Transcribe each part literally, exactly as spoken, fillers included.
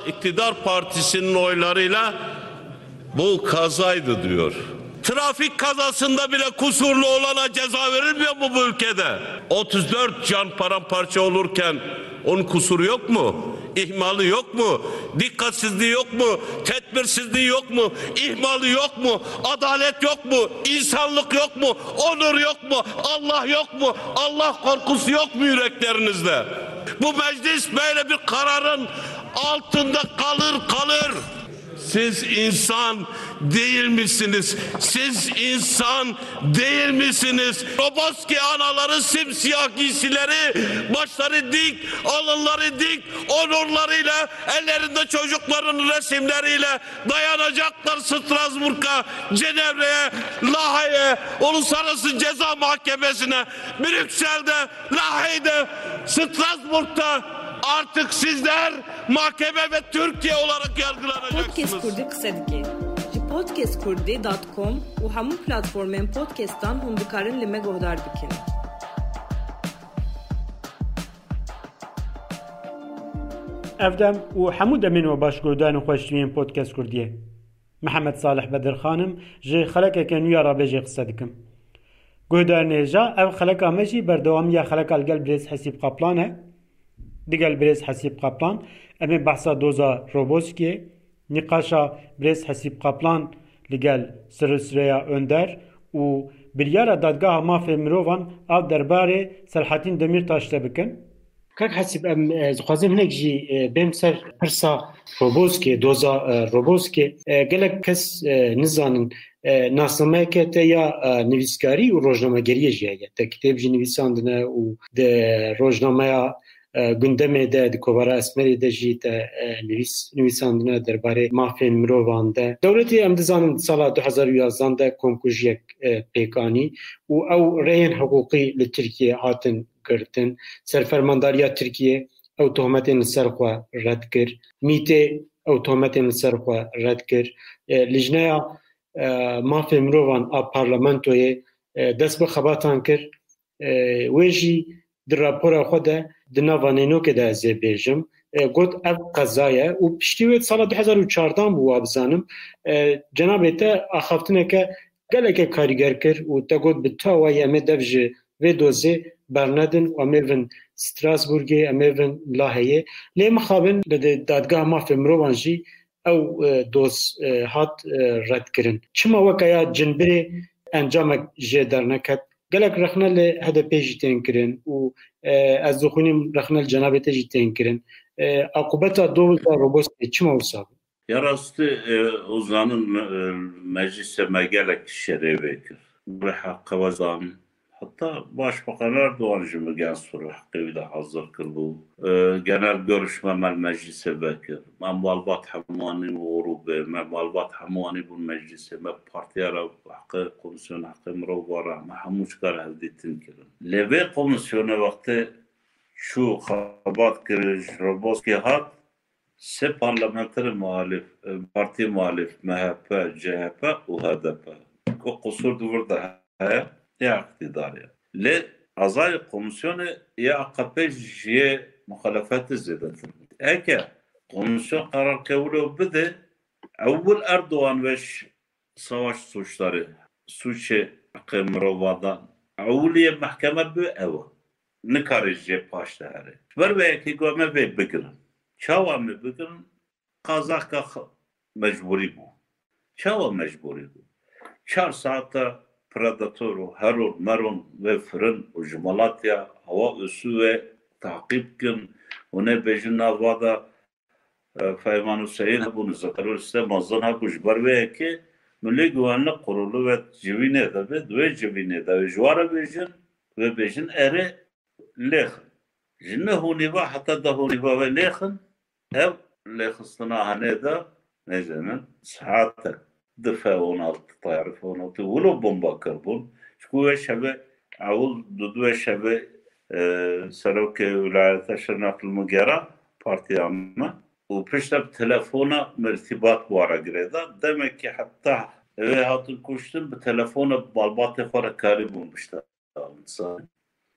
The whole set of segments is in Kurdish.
İktidar partisinin oylarıyla bu kazaydı diyor. Trafik kazasında bile kusurlu olana ceza verilmiyor mu bu ülkede? Otuz dört can paramparça olurken onun kusuru yok mu? İhmali yok mu? Dikkatsizliği yok mu? Tedbirsizliği yok mu? İhmali yok mu? Adalet yok mu? İnsanlık yok mu? Onur yok mu? Allah yok mu? Allah korkusu yok mu yüreklerinizde? Bu meclis böyle bir kararın altında kalır, kalır. Siz insan değil misiniz? Siz insan değil misiniz? Roboski anaları simsiyah giysileri, başları dik, alınları dik, onurlarıyla, ellerinde çocukların resimleriyle dayanacaklar Strasbourg'a, Cenevre'ye, Lahey'e, Uluslararası Ceza Mahkemesi'ne, Brüksel'de, Lahey'de, Strasbourg'da artık sizler mahkeme ve Türkiye olarak yargılanacaksınız. Podcast Kurdî qise dike. Ji podcast kurdî dot com û hemû platformên podcastan hûn dikarin li me guhdar bikin. Ev dem û hemû demên we baş guhdarên xweştiyên Podcast Kurdiyê. Mihemed Salih Bedirxan im, ji xelekeke nû ya Rabêjê qise dikim. Guhdarên hêja, ev xeleka me jî berdewamiya xeleka li gel birêz Hesîb Qaplan e. Digel birêz Hesîb Qaplan, em ê behsa doza Roboskiyê, nîqaşa birêz Hesîb Qaplan li gel Sirûsreya Önder û biryara Dadgeha Mafê Mirovan a derbarê Selahattin Demirtaş de bikin. Kak Hesîb, em, e, dixwazim hinek jî, e, bêm ser pirsa Roboskê, doza, e, Roboskê. E, gelek kes, e, nizanin, e, nasnameyeke te ya, e, nivîskarî û rojnamegeriyê jî heye. Te kitêb jî nivîsandine û di rojnameya, e, Gundemê de, di kovara Esmerê de jî te, e, nivîs-, nivîsandine derbarê mafên mirovan de. Dewletê, em dizanin, di sala du hezar û yazdan de komkujiyek, e, pêk anî û ew rêyên hiqûqî li Tirkiyê hatin girtin. Serfermandariya Tirkiyê ew tohmetên li ser xwe red kir. Mîtê ew tohmetên li ser xwe red kir. E, Lijneya, e, Mafê Mirovan a Parlamentoyê, e, dest bi xebatan kir. E, wê jî di rapora xwe de di nava nênokê de ez ê bêjim. E, got, ev qeza ye û piştî wê sala du hezar û çardan bû, wa bizanim. E, cenabê te axaftineke geleke karîger kir û te got, bi tu awayî em ê dev ji vê dozê bernedin û em ê vin Strasbourgê, em ê vin Laheyê. Lê mixabin li de-, Dadgeha Mafê Mirovan jî ew, e, doz, e, hat, e, redkirin. Çima weke ya cinbirê encamek jê derneket? Gelek rexne li H D P jî tên kirin û, e, ez dixwînim rexne li cenabê te jî tên kirin. E, aqûbeta doza Roboskê çima wisa bû? Ya rastî, e, û zanin, e, meclîsê me gelek şerê vê kir. Bi heqe we zanin. Heta Başbakan Erdogan jî min gen sor heqê wî de hazir kiribû. E, genel görüşme me li meclîsê vekir. Me malbat hemû anî grûbê, me malbat hemû anî bûn meclîsê, me partiya re heqê, komisyona heqê mirova re, me hemû çikar hevdîtin kirin. Lê vê komisyonê wextê çû xebat kir, ji Roboskê hat, sê parlamenterê muhalîf, e, partiyê muhalîf, M H P, C H P û H D P. Ku qusûr di vir de heye, ya îqtîdarê. Lê azayê komisyonê ya A K P ji yê muxalefetê zêdetir bû. Eke komisyon qerarke wilo bide, ewil Erdogan ve ş-, savaş suçları, suçê heqê mirovadan, ewiliyê mehkeme bi ew e. Nikare jê paş de here. Ji ber vê yekê got, em ê vê bigirin. Çawa em ê bigirin? Qazaka x-, mecburî bû. Çawa mecburî bû? Çar saeta Predator û Heron Meron vê firin û ji Malatya hewa û su ve taqîb kin. Hûn ê bêjin nava de, e, Feyman Huseyîn hebûn, Zeqerol Site mezin hebû, ji ber vê yekê milê güvenlik kurulu ve civînê de be, di wê civînê de be, ji wa re bêjin, vê bêjin erê lêxin. Ji neh û nîva heta deh û nîva ve lêxin, ev lêxistina henê de, nêzînin, saetek di F on altı, tayarê F on altı wilo bomba kirbûn. Çku wê şevê, ewil du, du wê şevê, e, serokê wîlayeta Şirnexê li min gera partiya me û piştre bi telefona min îrtîbat bi wan re girêda. Demekî heta ewê hatin kuştin, bi telefona bi malbatê xwe re karîbûn bişta.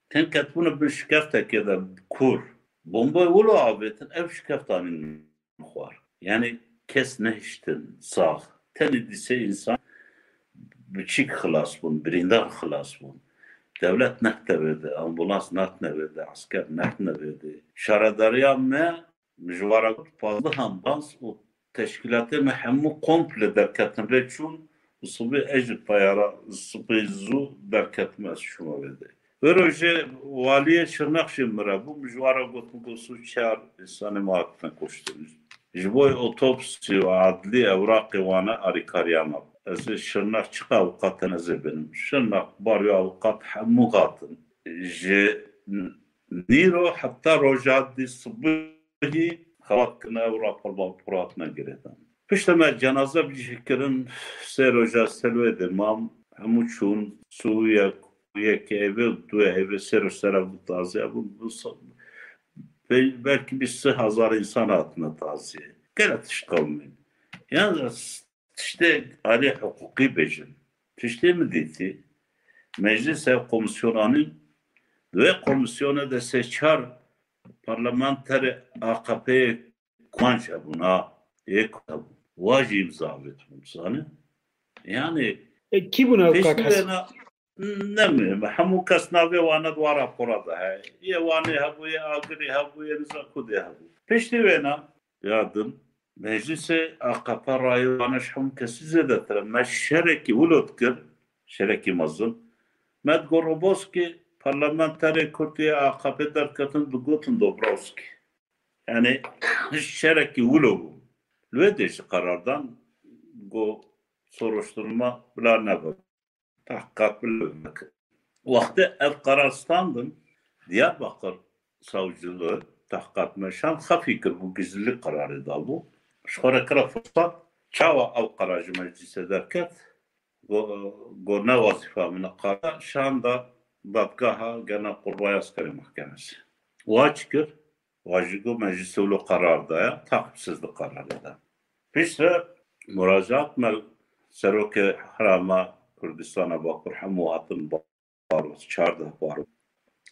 Tên ketibûne bin şikeftekê de kûr. Bombayê wilo avêtin, ev şikeft anîn min xwar. Yani kes nehiştin sax. Tenê dîsê insan biçîk xilas bûn, birîndar xilas bûn. Dewlet nehtine vê de, ambulans nehtine vê de, esker nehtine vê de. Şaredariya me, min ji we re got, pazdeh ambulans û teşkîlatê me hemû komple derketin rê çûn û sibê ez ji teyara sibê zû derketim, ez çûme vê de. Wê rojê waliyê Şirnex jî min re bû, min ji we re got, min got, sî û çar însanê me hatine kuştin. Ji bo otopsî û adlî ewraqê wane alîkariya me. Ez ê Şirnex çiqa avûqat hene ez ê bînim. Şirnex, Barî avûqat hemû hatin. Ji nîro heta roja dî sibihî xebat kirine û rapor mapor hatine girêdan. Piştre me cenaze bi cih kirin, sê roja ser wê de mam, hemû çûn, sî û yek, yek eyvê û du eyvê, sê roj sera bû taziye bûn. Bû sa-, be-, belkî bîst hezar însan hatine taziye. Gelek tişt qewimîn. Yan tiştê alî hiqûqî bêjin. Tiştê min dîtî, meclîs ev komîsyon anîn, di wê komîsyonê de sê çar parlamenterê A K P'yê Kumanc hebûn, ha, yê Kurd hebûn. Wa jî îmza avêtibûn, zanî? Yani, E, kî bûn ew pêşî kak Hesen? Wêna, ne muhim e. Hemû kes navê wane di wa rapora de heye. Yê Wanê hebû, yê Agirî hebû, yê niza kudê hebû. Piştî wêna, ya din, meclîsê A K P rayê wane ji hemû kesî zêdetir e. Me şerekî wilo dikir, şerekî mezin. Me digot Roboskî, parlamenterê Kurd yê A K P derketin, digotin Dobrowskî. Yani şerekî wilo bû. Li wê dê jî qerar dan, got soruşturma bila nebe. Tehqîqat bila nebe. Wextê ev qerar standin, Diyarbakir savcılığı tehqîqat meşan xefî kir bû, gizlilik qerarê dabû. Ji xwe re kire firsat, çawa ew qerar ji meclîsê derket? Go, go ne wezîfa min e, qara şanda dadgeha gena qurbaya askerê mehkemesê. Wa çi kir? Wa jî got, me ji sewlo qerar daya, taqîbsiz di qerarê de. Piştre muracaat me serokê Herêma Kurdistana Bakur hemû hatin baros, çardeh baros.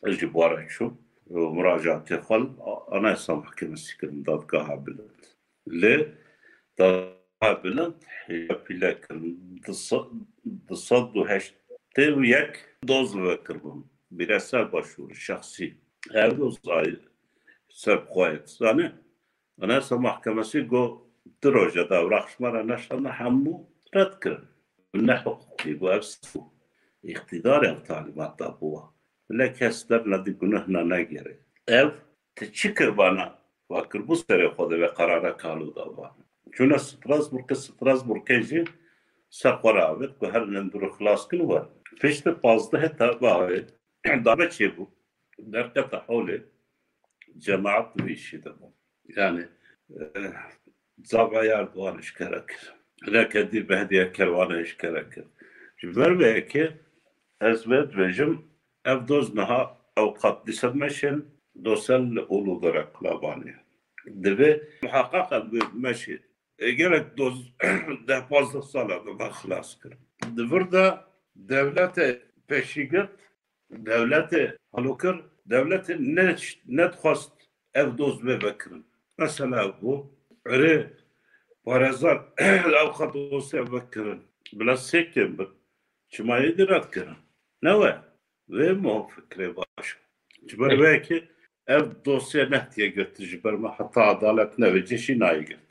Ez jî bi wan re çûm. Muracaatê xwe li Anayasa Mahkemesî kirin, Dadgeha Bilind. Lê Dadgeha Bilind hêja pîle kirin. Du sed, du sed û heştê û yek doz vekiribûn. Bireysel başvuru, şexsî. Ev doz ay ser xwe ye, zanî? Anayasa Mahkemesî got, du roje de ewraq ji me re neşandin, hemû red kirin. Ne hiqûqî bû, ev sî bû. Îqtîdarê ev talîmat dabû we. Bila kes dernedî, guneh ne negere. Ev, tu çi kir vana? Wa kirbû serê xwe de vê qerara kalo da vana. Çûne Strasbourgê, Strasbourgê jî ser xwe re avêt ku herin em dûr xilas kin wer. Piştî pazdehê Tebaxê darbe çêbû. Derkete holê, cemaat di vî îşî de bû. Yani, e, zavayar di wan eşkere kir. Reke dî Behdiye Kerwan eşkere kir. Ji ber vê yekê ez vê dibêjim, ev doz niha ew qat dîse meşên dosel li Uludere Qulabanê. Divê muheqeq ev bi meşê. E, gelek doz deh pazdeh sala de me xilas kir. Di vir de dewletê pêşîgirt, dewletê halokir, dewletê ne, nedixwest ev doz bê vekirin. Mesela bû, erê parêzan ew qat dosya vekirin. Bila sê kêm bin. Çima yê dî red kirin? Ne we? Wê mo fikrê baş. Ji ber wê yekê ev dosye nehtiye girtin ji ber me heta edalet nevê cê jî nayê girtin.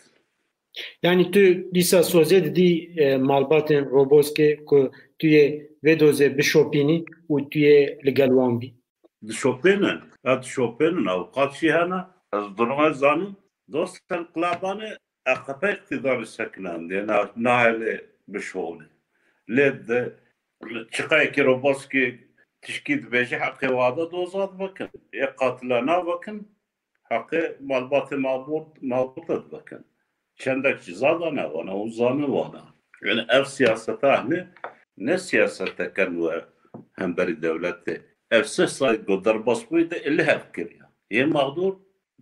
Yani tu dîsa sozê didî, e, malbatên Roboskê ku tu yê vê dozê bişopînî û tu yê li gel wan bî? Dişopênin, ya dişopênin, avûqat jî hene. Ez duruma zanim, dostên Qulabanê A K P îqtîdarê sekinandiye, na-, nahêlê bişolê. Lê di çiqayekî Roboskî tişkî dibêje, heqê wada doza dibikin. Yê qatila nabikin, heqê malbatê mabûr, mabûr de dibikin. Çendek ciza dane wana û zanin wana. Yani ev siyaseta hene, ne siyaseteke nû ye hemberî dewletê. Ev sê sal ku derbas bûyî de li hev kiriye. Yê mexdûr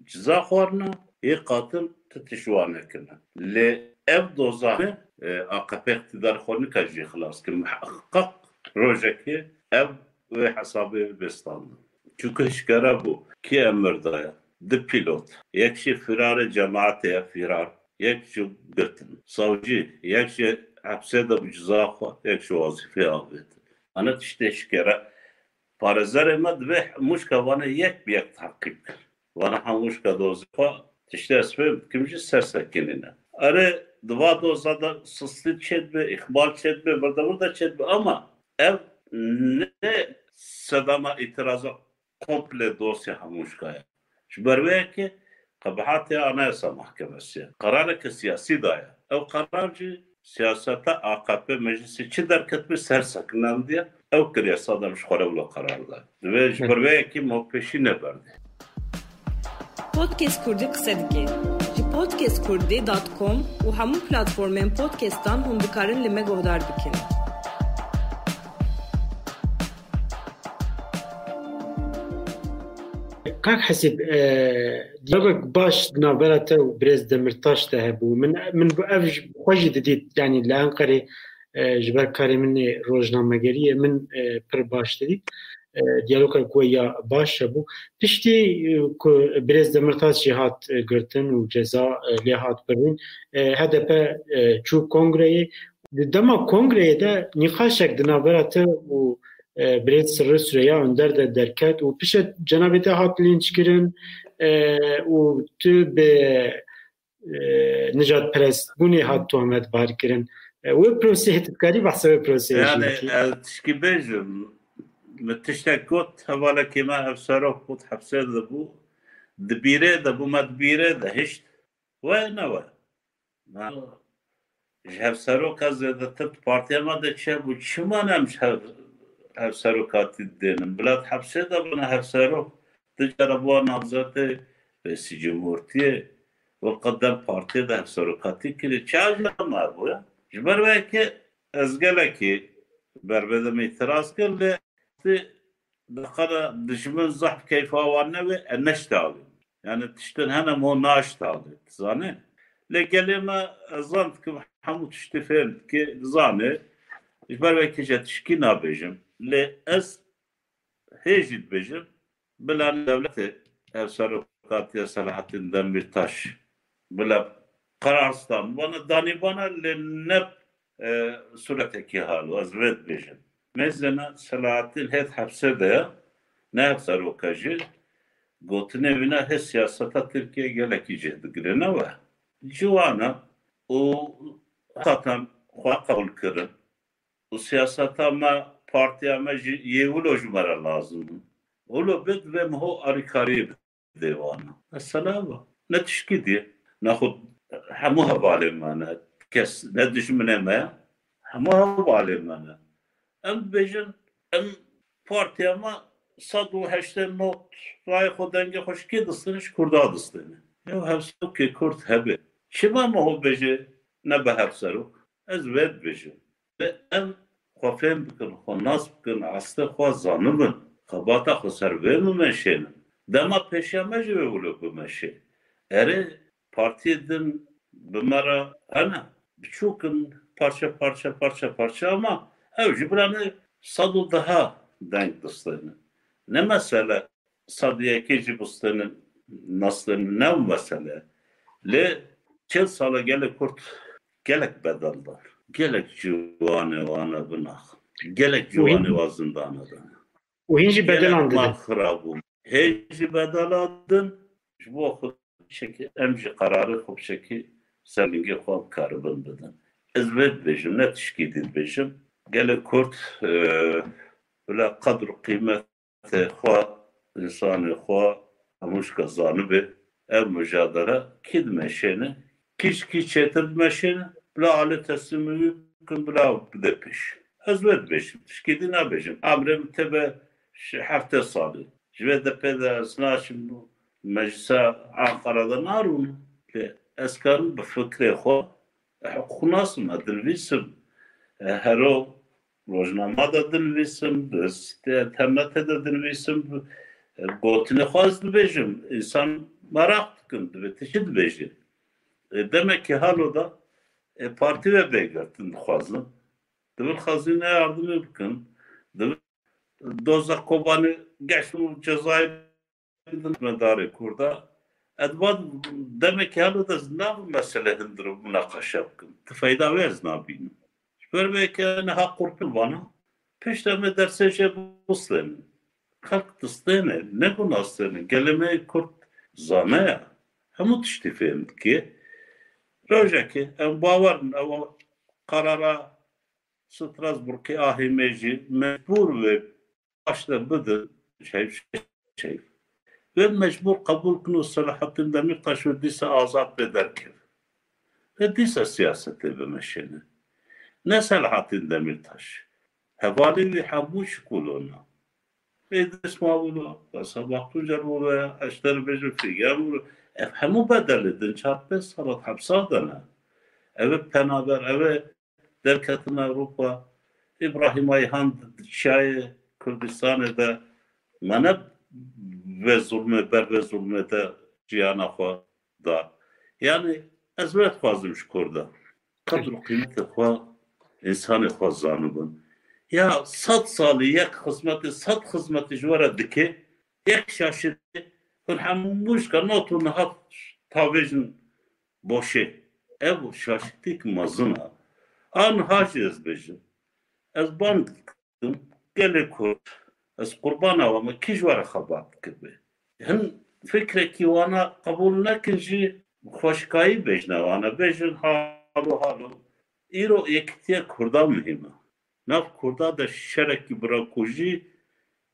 ciza xwarine, yê qatil ti tişt wan nekirine. Lê ev dozane, e, A K P îqtîdar xwe nikare jê xilas kir. Miheqeq rojekê ev wê hesabê bê standin. Çunku eşkere bû, kî emir daye? Du pîlot. Yek jî firarê cemaetê ye, firar. yek ji girtin. Savcî, yek ji hepsê de bi ceza xwe, yek ji wazîfê avêtin. Ana tiştê şikere. Parêzerê me divê mûşka vane yek bi yek teqîb kir. Vana hemûşka dozê xwe tiştê ez fêm dikim jî ser sekinîne. Erê, di va doza de sistî çêdibe, îxmal çêdibe, birdevirde çêdibe ama ev ne sedema îtiraza komple dosya hemûşka ye. Ji ber wê yekê qebahatê Anayasa Mahkemesi ye. Qerareke siyasî daye. Ew qerar jî siyaseta A K P meclisê çi derketibî ser sekinandiye, ew kiriye sadem ji xwe re wilo qerar da. Divê ji ber vê yekê me pêşî neberdê. Podcast Kurdî qise dike. Ji podcast kurdî dot com û hemû platformên podcastan hûn dikarin li me guhdar bikin. Kak Hesîb, e, diyalogek baş di navbera te û birêz Demirtaş de hebû. Min, min ev ji xwe jî didît, yanî li Enqerê, e, ji ber karê min ê rojnamegeriyê min, e, pir baş didît. E, diyalogek we ya baş hebû. Piştî, e, ku birêz Demirtaş jî hat, e, girtin û ceza, e, lê hat birîn, e, H D P, e, çû kongreyê. Di dema kongreyê de nîqaşek di navbera te û, e, birêz Sirri Süreyya Önder de derket û pişt cenabê te hat lînçkirin, e, û tu bi, e, nijadperestbûnê hat tohmetbarkirin. E, wê proseyê, tu dikarî behsa wê proseyê jî Yani bikî? Ez tişkî bêjim, min tiştek got, hevalekî me hevserok got, hepsê de bû, di bîrê de bû, me di bîrê de hişt. We ne we. Na, ji hevseroka zêdetir di partiya me de çêbû. Çima ne em ji hev, hevserokatî didênin? Bila di hepsê de bûne hevserok. Du cara bûa namzetê Rêsî Cumhurtiyê. Wek dem partiyê de hevserokatî kirî. Çi ev ne me bû ya? Ji ber wê yekê ez gelekî ber vê demê îtiraz kir, lê Ti diqala dijmin zehf keyfa wan nebe, e, neştalin. Yani tiştin hene mo naştalin, zanî? Lê gelê me, e, zan dikim hemû tiştî fêm dike, zanî. Ji ber wê kî jî tişkî nabêjim. Lê ez hê jî dibêjim, bila dewletê ev serokatiya Selahattin Demirtaş bila qerar stan. Bana danî bana lê ne, e, suretekî halo, ez vê dibêjim. Mêzena Selahattin hêt hepsê de ye, ne hepseroka jî. Gotinê wîna hê siyaseta Tirkiye gelekî cih digire, ne we? Ciwana û qatan xwe qebûl kirin. Û siyaseta me, partiya me jî yê wilo ji me re lazim in. Wilo bê divê min ho alîkariyê bidê wana. Mesela va. Ne tişkî diye. Nexwe hemû hevalê me ne. Kes ne dijminê me ye. Hemû hevalê me ne. Em dibêjin, em partiya me sed û heştê nod rayê xwe, dengê xwe ji kê distêne? Ji Kurda distêne. Ew hevserokê Kurd hebe. Çima me ho bêje nebe hevserok? Ez vê dibêjim. Em xwe fêm bikin, xwe nas bikin, astê xwe zanibin, xebata xwe ser vê bimeşênin. Dema pêşiya me jî wê wilo bimeşê. Erê, partiyê din bi me re hene, biçûk in, parçe parçe, parçe parçe, ama ew jî bila ne sed û deha deng distênin. Ne mesele sed û yekê jî bistênin, nestênin, ne ew mesele. Lê çil sala gelê Kurd gelek bedel dan. Gelek ciwanê wana binax. Gelek ciwanê wa zindana dan. Û hîn jî bedelan didin. Mal xirab bû. Hê jî bedela din, ji bo xwe çekî, em jî qerarê xwe çekî, ser lingê xwe bikaribin bidin. Ez vê dibêjim, ne tişkî dî dibêjim. Gelê Kurd, e, bila qedr û qîmet xwe, însanê xwe, hemûşka zanibe, ev mujadele kî dimeşêne, kî ji kî çêtir dimeşêne, bila alê teslîmî wî bikin, bila bide pêş. Ez wê dibêjim, tişkî dî nabêjim. Emrê min tê be ji heftê salî. Ji vê depê de ez naçim meclisa Anqara de narûnim. Lê ez karim bi fikrê xwe, e, hiqûqnasim, e, dinivîsim. E, hero rojnama de dinivîsim, bi sitê internetê de dinivîsim, bi, e, gotinê xwe ez dibêjim. Însan meraq dikin, divê tu çi dibêjî. E, demekî halo de, e, partî ve bê girtin dixwazin. Divin xezîne yardimê bikin. Divin doza Kobanê geşt û cezayê bidin me darê Kurda. Ez va demekî halo de ez nabim mesele hindir û munaqeşe bikim. Ti feyda wê ez nabînim. Ji ber vê ke niha qurpin vana. Pişt em ê dersê jê bistênin. Xelk distêne, ne ku nastêne. Gelê me yê Kurd zane ya. Hemû tiştî fêm dike. Rojekê em bawer in, ew qerara Strasbourgê a hêmê jî mecbûr wê paşde bidin, çeyf, çeyf. Wê mecbûr qebûl kin û Selahattin Demîrtaş wê dîsa azad bê derkeve. Wê dîsa siyasetê bimeşêne. Ne Selahattin Demîrtaş. Hevalê wî hemû şikolona. Êdris mabûna, Wesa Baxtûcer bûbe, ez ji te re bêjim Fîgen bûbe. Ev hemû bedelê din çar pênc salat hepsa de ne. Ev ê penaber, ev ê derketin Ewropa. Îbrahîm Ayhan di çiyayê Kurdistanê de mane vê zulmê, ber vê zulmê de jiyana xwe da. Yani ez wê dixwazim ji Kurda qedr û qîmetê xwe, însanê xwe zanibin. Ya sed salî yek xizmetê, sed xizmetê ji we re dike, yek şaşitê, hûn hemû şika not û niha tavêjin boşê. Ev şaşitîk mezin e. A niha jî ez bêjim. Ez bang dikim, gelê Kurd, ez qurbana we me, kî ji we re xebat dikibe? Hin fikrekî wana qebûl nekin jî xweşikayî bêjne wana. Bêjin halo halo. Îro yekîtiya Kurda muhîm e. Nav Kurda de şerekî birakujî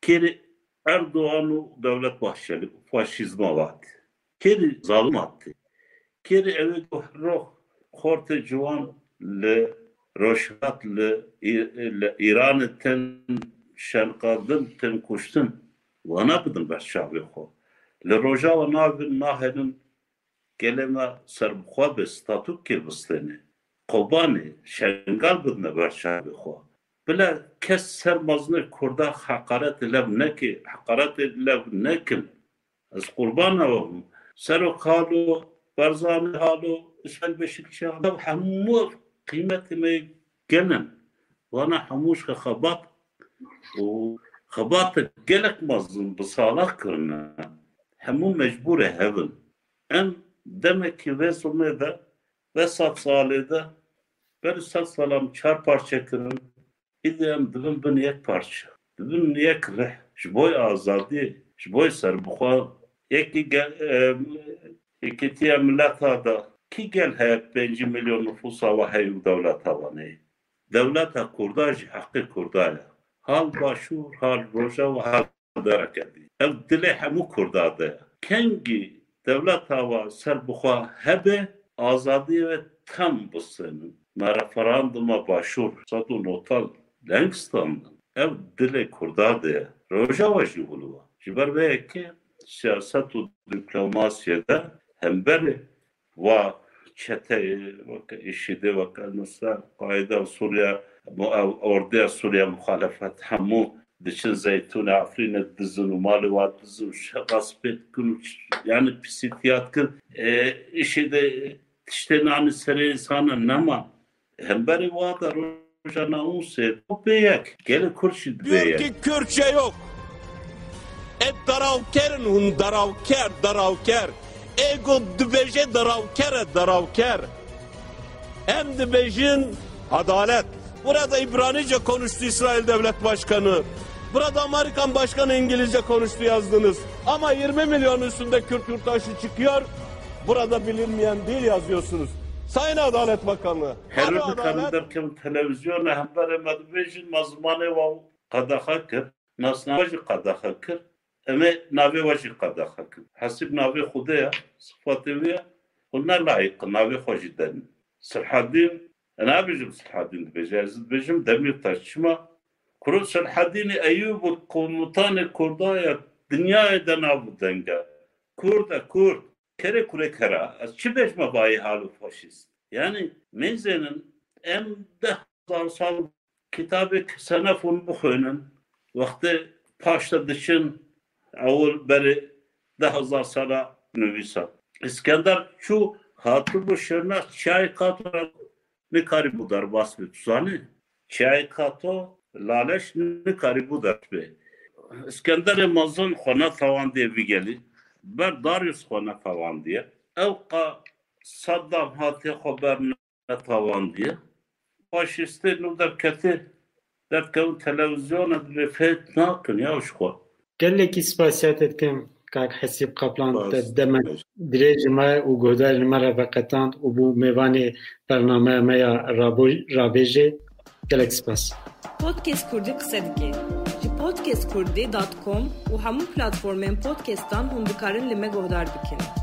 kêrî Erdogan û Dewlet Bahçeli faşîzma vat. Kêrî zalim hatî. Kêrî ew ê ku roh xortê ciwan li Rojhilat li Î-, li Îranê tên şenqandin, tên kuştin. Wana bidin ber çavê xwe. Li Rojava navin nahêlin gelê me serbixwe be, statûkê bistêne. Kobanê, Şengal bidine ber çavê xwe. Bila kes ser mezinê Kurda heqaretê lev neke, heqaretê lev nekin. Ez qurbana we bim. Serok halo, Barzanî halo, Îsmaîl Beşîkçî halo, hemû ev qîmetê me gelin. Wana hemû ji xebat û xebatek gelek mezin bi sala kirine. Hemû mecbûrê hev in. Em demekî vê zilmê de, vê sed salê de, berî sed sala em çar parçe kirin, îdî em dibin bin yek parçe. Dibin yek rih. Ji bo azadiyê, ji bo serbixwe, yekî gel, e, yekîtiya mileta de kî gel heye pêncî milyon nifûsa we heye û dewleta we neyê? Dewleta Kurda jî heqê Kurda ye. Hal Başûr, hal Rojava, hal dereke dî. Ev dilê hemû Kurda de ye. Kengî dewleta we serbixwe hebe, azadiyê we tam bistênin. Me referanduma Başûr sed û newtal leng standin. Ev dilê Kurda de ye. Rojava jî wilo ye. Ji ber vê yekê siyaset û dîplomasiyê de hemberê va çeteyê, weke îşîdê, weke Nusra, Qaîde û Sûriye, mu-, ew ordeya Sûriye muxalefet, hemû diçin Zeytûnê, Efrînê dizin û malê wa dizin û şe-, gaspê dikin û ç-, yani pisîtiya dikin. E, îşîdê tiştê nanî serê însana nema. Hemberê wa da rojana ûnsê bê yek. Gelê Kurd jî dibê Diyor yek. Ki Kürtçe yok. E darawkerin hûn, darawker, darawker. Ê ku dibêje darawker e, darawker. Em dibêjin adalet. Burada İbranice konuştu İsrail Devlet Başkanı. Burada Amerikan Başkanı İngilizce konuştu yazdınız. Ama yirmi milyon üstünde Kürt yurttaşı çıkıyor. Burada bilinmeyen dil yazıyorsunuz. Sayın Adalet Bakanı, Her hadi wê dikarin adalet. Derkevin televizyona hemberê me dibêjin me zimanê wa qedexe kir. Nasnameya we jî qedexe kir. Em ê navê we jî qedexe kin. Hesîb navê Xwedê ye, sifatê wî ye. Hûn ne layîq in navê xwe jî denin. Sirhedîn, ez nabêjim Sirhedîn dibêje, ez dibêjim Demîrtaş. Çima? Kuro Sirhedînê Eyûb û komutanê Kurda ye, dinyayê de nav û deng e. Kurd e, Kurd. Kerê kurê kera. Ez çi bêjme bayê halo faşîst? Yani, mêzênin em deh hezar sal kitabê Ksenefon bixwînin, wextê paşte diçin, ewil berê deh hezar sala nivîsa. Îskender çû, hatibû Şirnex, çiyayê Kato nikarîbû derbas bê, tu zanî? Çiyayê Kato, Laleş nikarîbû derbas bê. Îskenderê mezin xwe netewandiye vî gelî. ber Darius xwe netewandiye. Ew qa Saddam hatiye xwe ber netewandiye. Faşistê nû derketê, derkevin televizyona, divê fêt nakin ya ji xwe. Gelekî spasiya te dikim, kak Hesîb Kaplan, te dema dirêj ji me û guhdarên me re veqetand û bû mêvanê bernameya me ya Rabo-, Rabêjê. Gelek spas. Podcast Kurdî qise dike. Ji podcast kurdî dot com û hemû platformên podcastan hûn dikarin li me guhdar bikin.